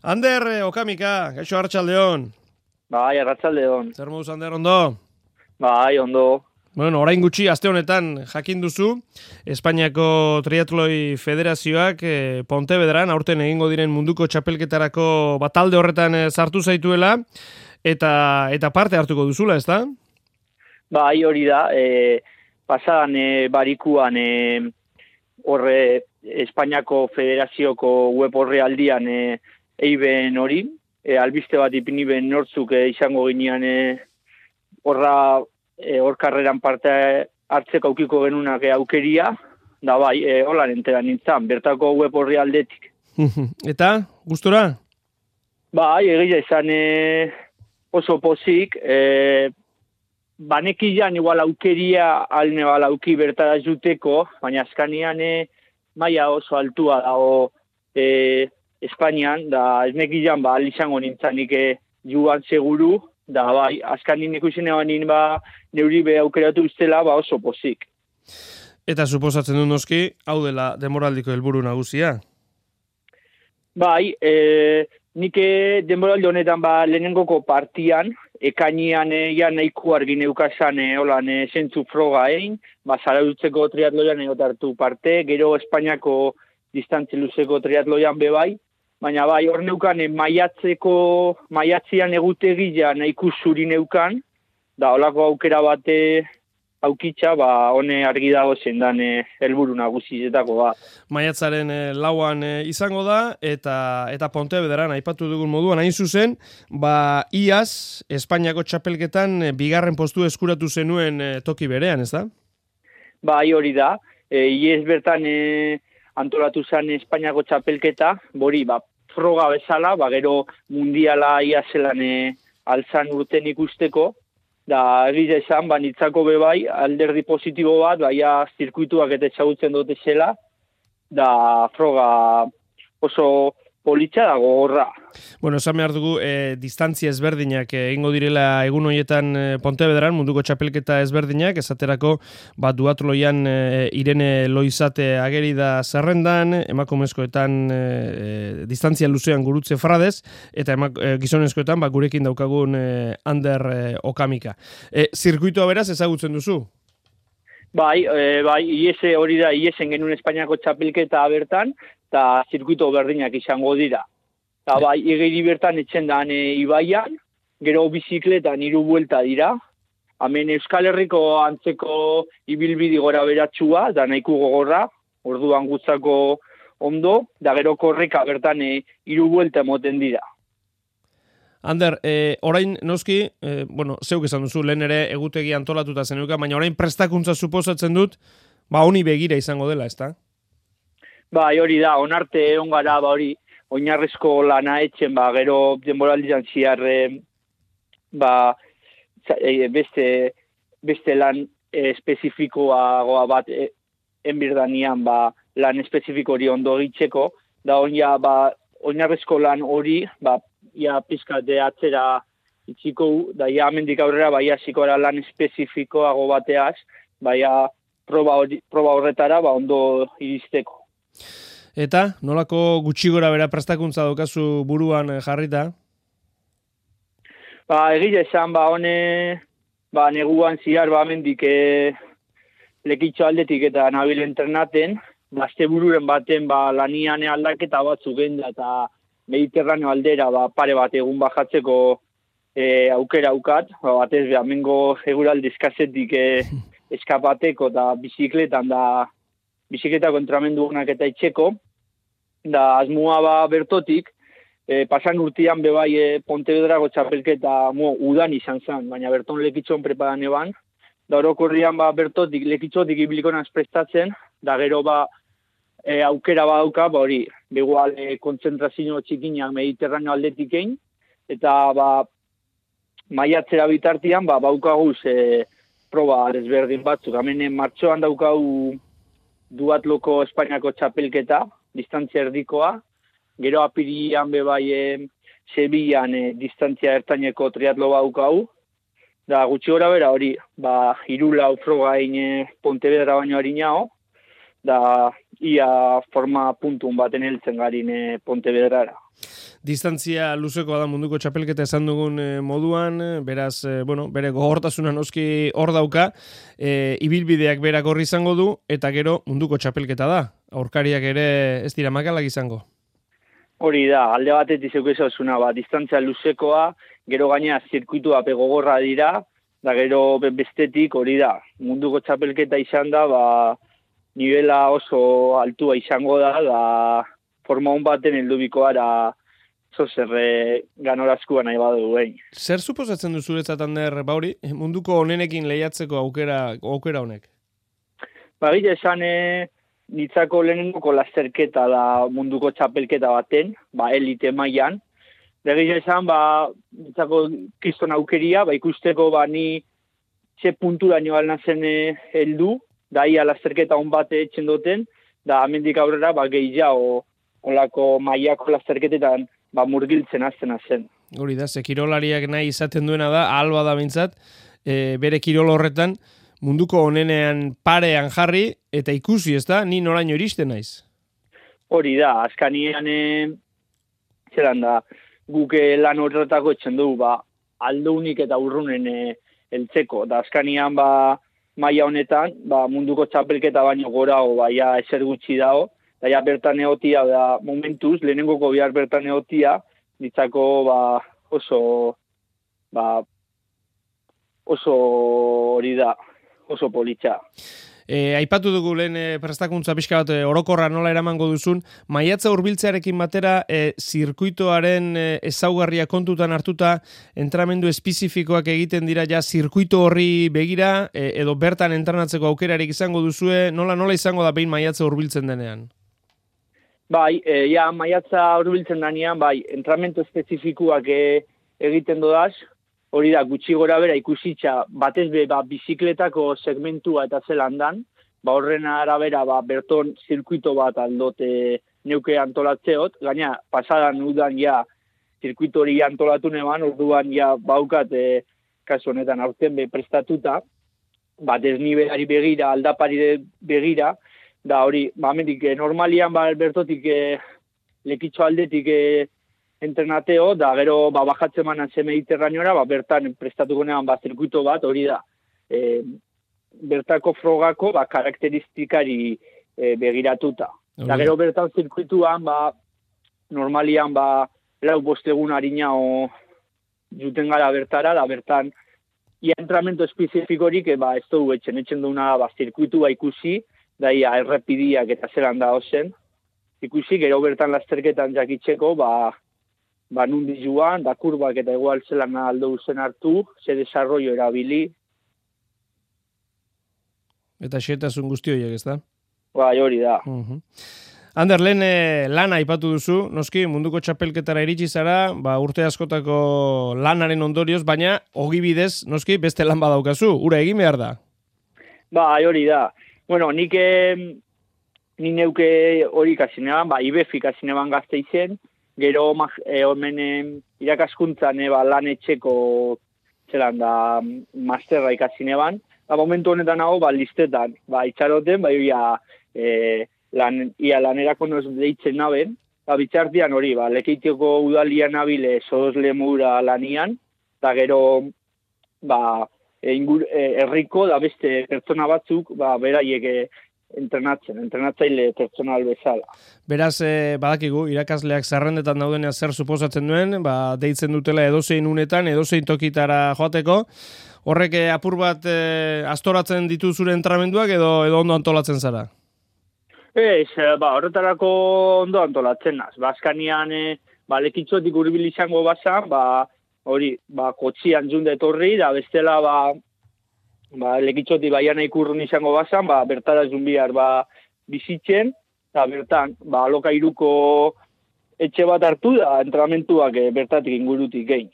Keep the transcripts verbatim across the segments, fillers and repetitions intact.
Ander, eh, Okamika, gaixo Arratsaldeon. Bai, Arratsaldeon. Zer moduz, Ander, ondo? Bai, ondo. Bueno, orain gutxi, aste honetan jakin duzu, Espainiako Triatloi Federazioak eh, Pontevedran aurten egingo diren munduko txapelketarako batalde horretan eh, sartu zaituela, eta eta parte hartuko duzula, ezta? Bai, hori da. E, pasadan e, barikuan e, horre Espainiako Federazioko web orrialdian e, eiben hori, e, albiste bat ipini ben nortzuk e, izango ginean e, horra e, hor karreran parte hartzeko aukiko genunak e, aukeria, da bai, e, holan entera nintzen, bertako web orrialdetik. Eta, gustora? Bai, egia izan e, oso pozik, e, banekian igual aukeria alne balauki bertara juteko, baina azkanian e, maila oso altua dago e, Espainian, da ez nekian ba izango nintzanik e, juan seguru, da bai, azkanin ikusen eban ba neuri be aukeratu iztela ba oso pozik. Eta suposatzen du noski, hau dela denboraldiko helburu nagusia? Bai, e, nik denboraldi honetan ba lehenengoko partian, ekainian e, ja nahiko argi neukasan e, holan e, zentzu froga egin, ba zarautzeko triatloian egotartu parte, gero Espainiako distantzi luzeko triatloian bebai, baina bai, hor neukan e, maiatzeko, maiatzian egutegia nahiko zuri neukan, da holako aukera bate aukitza, ba hone argi dago zendan e, helburu nagusietako ba. Maiatzaren e, lauan e, izango da, eta eta Pontevedran aipatu dugun moduan hain zuzen, ba iaz Espainiako txapelketan e, bigarren postu eskuratu zenuen e, toki berean, ez da? Bai, hori da. E, iez bertan e, antolatu zen Espainiako txapelketa, bori, ba, froga bezala, ba, gero mundiala ia zelan e, altzan urten ikusteko, da egiz esan, ba, nitzako bebai, alderdi positibo bat, baia zirkuituak eta etxagutzen dute zela, da froga oso politxa dago horra. Bueno, esan behar dugu, e, distantzia ezberdinak egingo direla egun horietan e, Pontevedran, munduko txapelketa ezberdinak, esaterako bat duatloian e, Irene Loizate ageri da zerrendan, emakumezkoetan e, distantzia luzean gurutze fradez, eta emak, e, gizonezkoetan ba, gurekin daukagun e, Ander e, Okamika. E, zirkuitua beraz ezagutzen duzu? Bai, e, bai, iese hori da, iesen genuen Espainiako txapelketa bertan, eta zirkuito berdinak izango dira. Eta bai, egeri bertan etxen da e, ibaian, gero bizikletan hiru buelta dira, hemen Euskal Herriko antzeko ibilbidi gora beratxua, da nahiko gogorra, orduan gutzako ondo, da gero korreka bertan e, hiru buelta emoten dira. Ander, eh, orain noski, eh, bueno, zeuk esan duzu, lehen ere egutegi antolatuta zenuka, baina orain prestakuntza suposatzen dut, ba honi begira izango dela, ezta? Bai, hori da, onarte egon gara, ba hori, oinarrezko lana etxen, ba, gero denboraldian ziarre, ba, beste, beste lan espezifikoa bat e, enbirdanian, ba, lan espezifiko hori ondo egitzeko, da oina, ba, oinarrezko lan hori, ba, ia pizkate atzera itxiko, da ia amendik aurrera, baia zikoara lan espezifikoago bateaz, baia proba, hori, proba horretara, ba, ondo iristeko. Eta, nolako gutxi gora bera prestakuntza daukazu buruan jarrita? Ba, egia esan, ba, hone, ba, neguan ziar, ba, amendik e, lekitxo aldetik eta nabil entrenaten, ba, azte bururen baten, ba, lanian aldaketa batzuk genda, eta Mediterraneo aldera, ba, pare bat egun bajatzeko e, aukera aukat, ba, batez beha, mengo eguraldi eskazetik e, eskapateko eta bizikletan da, bizikleta kontramendu honak eta itxeko, da asmoa ba bertotik, e, pasan urtean bebai e, Pontevedrako txapelketa mo, udan izan zen, baina berton lekitxon preparan eban, da orokorrian ba bertotik, lekitxotik ibilikonan prestatzen, da gero ba e, aukera badauka, ba hori, begual e, kontzentrazio txikinak Mediterraneo aldetik egin, eta ba maiatzera bitartian, ba baukaguz e, proba desberdin batzuk, hemen martxoan daukagu duatloko Espainiako txapelketa, distantzia erdikoa, gero apirian bebai e, Sevillan e, distantzia ertaineko triatlo baukau, da gutxi gora bera hori, ba, hiru lau froga egin e, Pontevedra baino harinao, da ia forma puntun baten heltzen garin e, Pontevedrara. distantzia luzekoa da munduko txapelketa esan dugun moduan, beraz, bueno, bere gogortasuna noski hor dauka, e, ibilbideak berak horri izango du, eta gero munduko txapelketa da. Aurkariak ere ez dira makalak izango. Hori da, alde batetik zeukizazuna, ba, distantzia luzekoa, gero gaina zirkuitua pegogorra dira, da gero bestetik hori da. Munduko txapelketa izan da, ba, nivela oso altua izango da, da forma hon baten heldubikoa da zozerre ganorazkoa nahi badu egin. Zer suposatzen du zuretzat, Ander, bauri, munduko honenekin lehiatzeko aukera, aukera honek? Ba, gila esan, nitzako lehenengoko lasterketa da munduko txapelketa baten, ba, elite mailan. Da gila esan, ba, nitzako kriston aukeria, ba, ikusteko ba, ni ze puntura nio alnazen heldu, da ia lasterketa hon bate etxen duten, da amendik aurrera ba, gehiago olako mailako lasterketetan ba, murgiltzen azten zen. Hori da, ze kirolariak nahi izaten duena da, alba da bintzat, e, bere kirol horretan munduko honenean parean jarri, eta ikusi, ez da, ni noraino iristen naiz. Hori da, azkanian, e, zelan da, guk lan horretako etxen dugu, ba, aldeunik eta urrunen e, eltzeko, da azkanian, ba, maila honetan, ba, munduko txapelketa baino gora, o, ba, ja, ezer gutxi dago, da, ja, bertan egotia, da, momentuz, lehenengoko bihar bertan egotia, ditzako, ba, oso, ba, oso hori da, oso politxa. E, aipatu dugu lehen e, prestakuntza pixka bat e, orokorra nola eramango duzun, maiatza hurbiltzearekin batera e, zirkuitoaren e, ezaugarria kontutan hartuta entrenamendu espezifikoak egiten dira ja zirkuito horri begira e, edo bertan entrenatzeko aukerarik izango duzue, nola nola izango da behin maiatza hurbiltzen denean? Bai, e, ja, maiatza hurbiltzen denean, bai, entrenamendu espezifikoak e, egiten dodaz, hori da, gutxi gora bera ikusitza batez be, ba, bizikletako segmentua eta zelandan, ba, horren arabera, ba, berton zirkuito bat aldote neuke antolatzeot, gaina, pasadan udan ja, zirkuito hori antolatu neban, orduan ja, baukat, e, kasu honetan, aurten be prestatuta, bat ez nivelari begira, aldapari begira, da hori, ba, mendik, e, normalian, ba, bertotik, e, lekitxo aldetik, e, entrenateo, da gero ba, bajatzen manan ze Mediterraneora, ba, bertan prestatuko nean ba, zirkuito bat, hori da, e, bertako frogako ba, karakteristikari e, begiratuta. Okay. Da gero bertan zirkuituan, ba, normalian, ba, lau bostegun harina o juten gara bertara, da bertan, ia entrenamiento espezifikorik, e, ba, ez dugu etxen, etxen duna, ba, zirkuitua ikusi, da ia errepidiak eta zelan da ozen, ikusi, gero bertan lasterketan jakitzeko, ba, ba, nundi joan, da kurbak eta igual zelan aldo zen hartu, ze desarrollo erabili. Eta xetasun guzti horiek, ez da? Bai, hori da. Uh-huh. Ander, lehen eh, lana aipatu duzu, noski, munduko txapelketara iritsi zara, ba, urte askotako lanaren ondorioz, baina ogibidez, noski, beste lan badaukazu, ura egin behar da? Ba, hori da. Bueno, nik eh, ni neuke hori kasinean, ba, I B F I kasinean gazte izen, gero e, omen e, irakaskuntzan e, ba, lan etxeko zelan da masterra ikasineban, ba, momentu honetan hau ba, listetan, ba, itxaroten, ba, ia, e, lan, ia lanerako noz deitzen naben, ba, bitxartian hori, ba, Lekeitioko udalian nabile soz lemura lanian, eta gero ba, e, ingur, e, herriko da beste pertsona batzuk, ba, beraiek e, entrenatzen, entrenatzaile pertsonal bezala. Beraz, eh, badakigu, irakasleak zerrendetan daudenean zer suposatzen duen, ba, deitzen dutela edozein unetan, edozein tokitara joateko, horrek eh, apur bat eh, astoratzen ditu zure entramenduak edo, edo ondo antolatzen zara? Ez, ba, horretarako ondo antolatzen naz. Baskanian, e, ba, lekitzotik urbil izango bazan, ba, hori, ba, kotxian junde etorri, da bestela, ba, ba, lekitzoti baian ikurrun izango bazan, ba, bertara zunbiar ba, bizitzen, eta bertan, ba, alokairuko etxe bat hartu da, entrenamentuak e, bertatik ingurutik gein.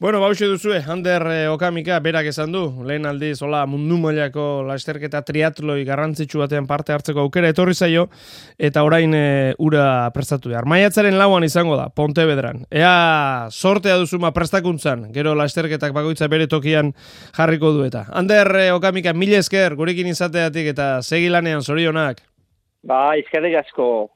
Bueno, bauxe duzue, Ander eh, Okamika berak esan du, lehen aldiz, hola, mundu mailako lasterketa triatloi garrantzitsu batean parte hartzeko aukera etorri zaio, eta orain e, ura prestatu behar. Maiatzaren lauan izango da, Pontevedran. Ea sortea duzuma prestakuntzan, gero lasterketak bakoitza bere tokian jarriko du eta. Ander eh, Okamika, mila esker, gurekin izateatik eta segi lanean, zorionak. Ba, izkerrik asko.